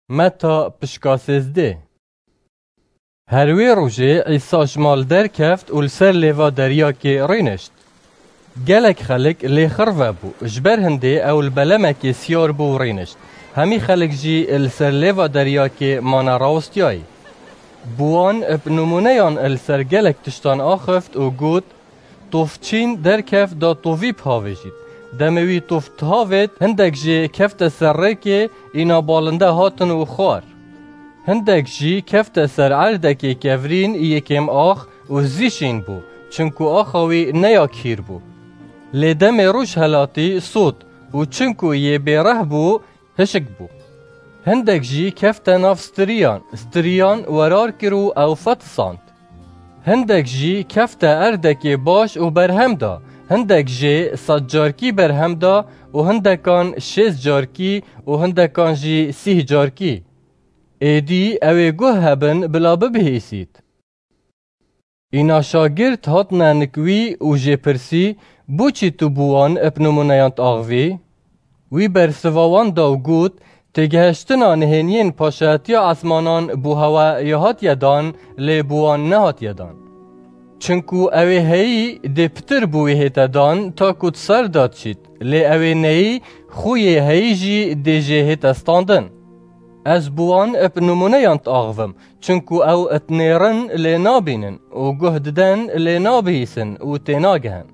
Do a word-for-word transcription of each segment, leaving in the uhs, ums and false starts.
Meta pişka sêzdeh. Her wê rojê Îsa ji mal derkeft û li ser lêva deryakê rênişt. Gelek xelk lê xirve bû, ji ber hindê ew li belemekê siyar bû û rênişt. Hemî xelk jî li ser lêva deryakê mane rawestiyayî. Bi wan bi nimûneyan li ser gelek tiştan axift û got, Tovçîn derkeft da tovî bihavêjît. Demê wî tov dihavêt, hindek jê kefte ser rêkê, îna balinde hatin û xwar. Hindek jî kefte ser erdekê kevrîn, yê kêm ax û zî şîn bû, çinku axa wî ne ya kîr bû. Lê demê roj helatî sot û çinku yê bêreh bû, hişk bû. Hindek jî kefte nav stiriyan, stiriyan werar kir û ew fetisand. Hindek jî kefte erdekê baş û berhem da, hindek jê sed carkî berhem da û hindekan şêst carkî û hindekan jî sîh carkî. Êdî ew ê guh hebin bila bibihîsît. Îna şagirt hatine nik wî û jê pirsî, Bo çi tu bi wan bi nimûneyan diaxivî? Wî bersiva wan da û got, Têgihiştina nihêniyên paşayetiya esmanan bo hewe ya hatiye dan, lê bo wan nehatiye dan. Çinku ew ê heyî dê pitir bo wî hête dan, ta ku di ser de diçît, lê ew ê neyî, xwî yê heyî jî dê jê hête standin. Ez bi wan bi nimûneyan diaxivim, çinku ew dinêrin lê nabînin û guh diden lê nabihîsin û tênagihin.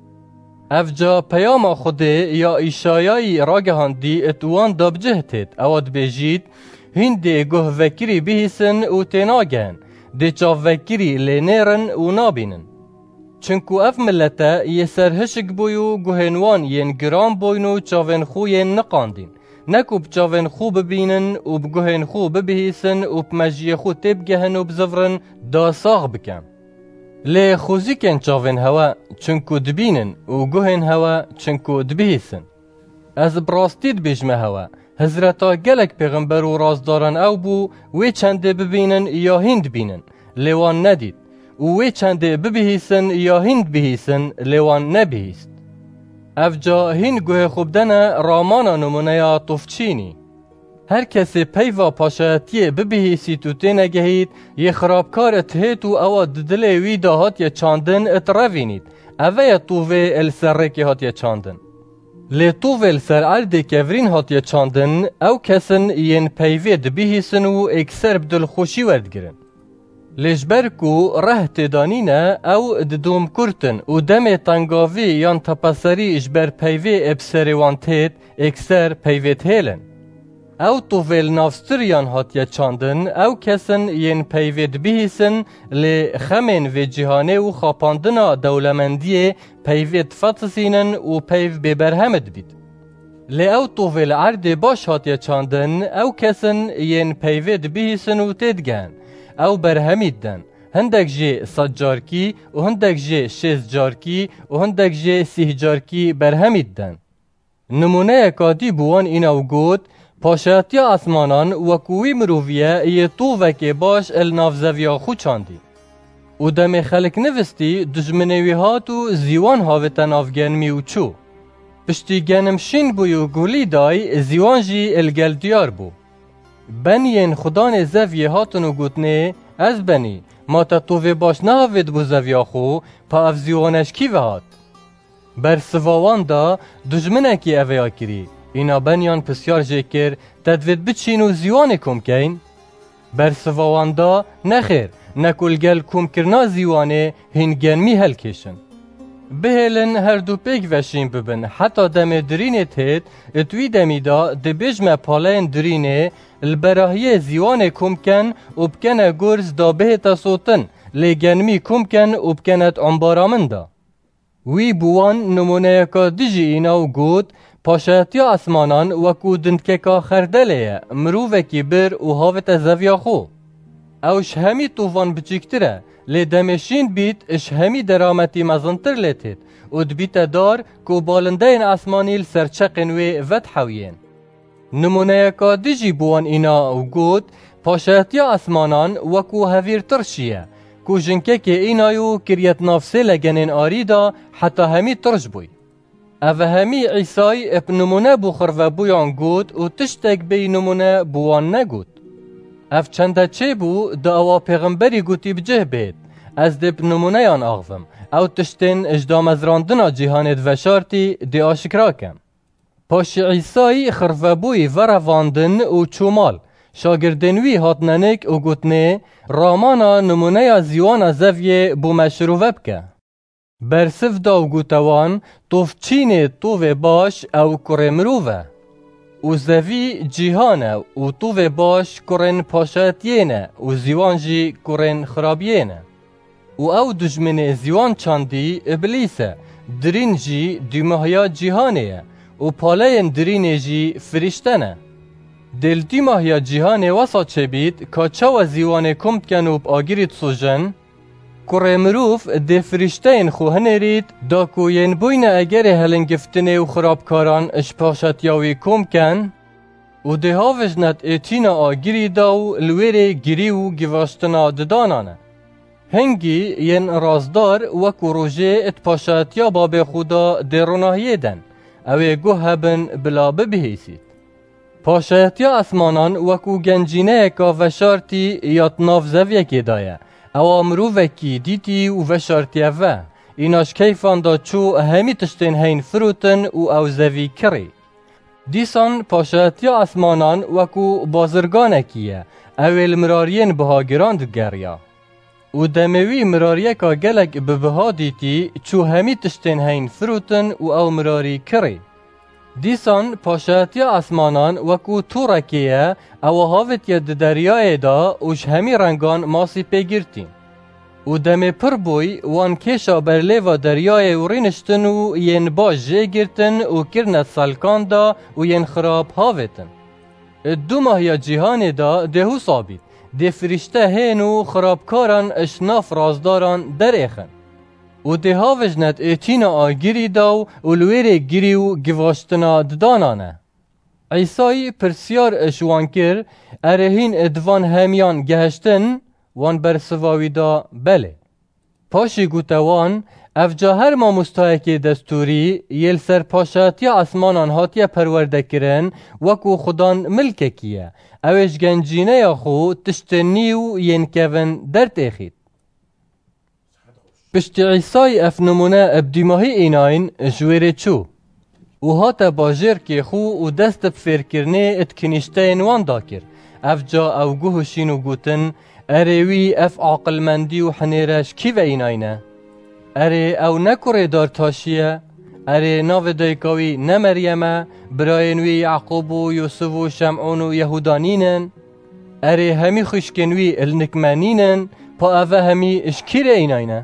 Ev ca peyama Xwedê ya Îşayayî ragihandî di wan de bi cih têt, ewa dibêjît, Hîn dê guh vekirî bihîsin û tênagihin, dê çav vekirî lê nêrin û nabînin. Çinku ev milete yê ser hişk bûy û guhên wan yên giran bûyn û çavên xwe yên niqandîn, ne ku bi çavên xwe bibînin û bi guhên xwe bibihîsin û bi mejiyê xwe têbigehin û bizivirin da sax bikin. Lê xwezîkên çavên hewe, çinku dibînin û guhên hewe, çinku dibihîsin. Ez bi rastî dibêjime hewe, hizreta gelek pêxember û rastdaran ew bû, wê çendê bibînin ya hîn dibînin, lê wan nedît. Û wê çendê bibihîsin ya hîn dibihîsin, lê wan nebihîst. Ev ca hîn guhê xwe bidene ramana nimûneya tovçînî. Her kesê peyva paşayetiyê bibihîsît û tênegehît, yê xirabkar it hêt û ewa di dilê wî de hatiye çandin it revînît. Eve ye tovê li ser rêkê hatiye çandin. Lê tovê li ser erdê kevirîn hatiye çandin, ew kesin yên peyvê dibihîsin û êkser bi dilxweşî werdigirin. Lê ji ber ku reh têda nîne, ew didom kurt in û demê tengavî yan tepeserî ji ber peyvê ê bi serê wan têt, êkser peyvê dihêlin. Ew tovê li nav stiriyan hatiye çandin, ew kesin yên peyvê dibihîsin, lê xemên vê cîhanê û xapandina dewlemendiyê peyvê difetisînin û peyv bêberhem dibît. Lê ew tovê li erdê baş hatiye çandin, ew kesin yên peyvê dibihîsin û têdigehin, ew berhemî diden, hindek jê sed carkî û hindek jê şêst carkî û hindek jê sîh carkî berhemî diden. Nimûneyeka dî bi wan îna û got, Paşayetiya esmanan wekû wî mirovî ye yê tovekê baş li nav zeviya xwe çandî. Û demê xelk nivistî, dijminê wî hat û zîwan havête nav genmî û çû. Piştî genim şîn bûy û gulî day, zîwan jî li gel diyar bû. Beniyên xudanê zeviyê hatin û gotinê, Ez benî, ma te tovê baş nehavêt bo zeviya xwe, pa ev zîwane ji kî ve hat? Bersiva wan da, Dijminekî eveya kirî. Îna beniyan pisyar jê kir, Te divêt biçîn û zîwanê kom keyn? Bersiva wan da, Nexêr, ne ku li gel komkirina zîwanê hîn genmî helkêşin. Bihêlin her du pêk ve şîn bibin, heta demê dirînê têt, it wî demî de dibêjme paleyên dirînê, li berahiyê zîwanê kom ken û bikene gurz da bihête sotin, lê genmî kom ken û bikene di ombara min de. Wî bi wan nimûneyeka dijî îna û got, Paşayetiya esmanan wekû dindkeka xerdelê ye, mirovekî bir û havête zeviya xwe. Ew ji hemî tovan biçîktir e, lê demê şîn bît, ji hemî derametî mezintir lê têt û dibîte dar ku balindeyên esmanî li ser çeqên wê vedihewiyên. Nimûneyeka dijî bi wan îna û got, Paşayetiya esmanan wekû hevîr tirşî ye, ku jinkekê înayo kiriye di nav sê legenên arî de heta hemî tirş bûy. Eve hemî Îsay bi nimûne bo xirvebûyan got û tiştek bêyî nimûne bo wan negot. Ev çende çêbû, da ewa pêxemberî gotî bi cih bêt. Ez dê bi nimûneyan axivim. Ew tiştên ji damezrandina cîhanê di veşartî dê aşikra kem. Paşî Îsayî xirvebûyî verevandin û çû mal. Şagirdên wî hatine nik û gotinê, Ramana nimûneya zîwana zeviyê bo me şirove bike. Bersiv da û gote wan, Tovçînê tovê baş ew kurê mirov e. Û zevî cîhan e û tovê baş kurên paşayetiyê ne û zîwan jî kurên xirabiyê ne. Û ew dijminê zîwan çandî Îblîs e, dirîn jî dûmahiya cîhanê ye û paleyên dirînê jî firîşte ne. Dê li dûmahiya cîhanê wesa çêbît ka çawa zîwanê kom dikin û bi agirî disûjin? Kurê mirov dê firîşteyên xwe hinêrît, da ku yên bûyne egerê helingiftinê û xirabkaran ji paşetiya wî kom ken, û dê havijnet ê tîna agirî da û li wêrê girî û givaştina didanan e. Hingî yên razdar wekû rojê di paşetiya babê xwe da dê ronahiyê den, ew ê guh hebin bila bibihîsît. Paşayetiya esmanan wekû gencîneyeka veşartî ya di nav zeviyekê de ye. Ewa mirovekî dîtî û veşartiye ve. Îna ji keyfan de çû hemî tiştên heyn firotin û ew zevî kirî. Dîsan paşayetiya esmanan wekû bazirganekî ye. Ew ê li mirariyên bihagiran digeriya. Û demê wî mirariyeka gelek bi biha dîtî, çû hemî tiştên heyn firotin û ew mirarî kirî. Dîsan paşayetiya esmanan wekû tûrekê ye, ewa havitiye di deryayê de û ji hemî rengan masî pê girtî. Û demê pir bûy, wan kêşa ber lêva deryayê û rîniştin û yên baş jê girtin û kirine selkan da û yên xirab havêtin. Di dûmahiya cîhanê de dê wisa bît, dê firîşte hên û xirabkaran ji nav razdaran derêxin. Û dê havijnet ê tîna agirî da û li wêrê girî û givaştina didanan e. Îsayî pirsyar ji wan kir, Erê hîn di van hemiyan gehiştin? Wan bersiva wî da, Belê. Paşî gote wan, Evca her mamostayekê destûrî yê li ser paşatiya esmanan hatiye perwerdekirin, wekû xudan milkekî ye. Ew ê ji gencîneya xwe tiştên nî û yên kevin dertêxît. Piştî Îsayî ev nimûne bi dîmahî înayîn, ji wêrê çû û hate bajêrkê xwe û dest bi fêrkirinê di kinîşteyên wan da kir. Evca ew guh hişîn û gotin, Erê wî ev aqilmendî û hinêre ji kî ve înayîne? Erê ew ne kurê dartaşî ye? Erê navê dayika wî ne Meryem e, birayên wî Yaqûb û Yûsif û Şemûn û Yehûda nînin? Erê hemî xwişkên wî li nik me nînin? Pa eve hemî ji kî re înayne?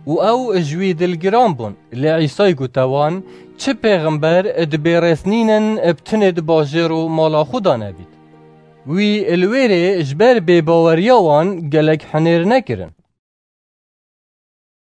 Û ew ji wî dilgiran bûn. Lê Îsay gote wan, Çi pêxember di bê rêz nînin bi tinê di bajêr û mala xwe de nebît? Wî li wêrê ji ber bêbaweriya wan gelek hinêr nekirin.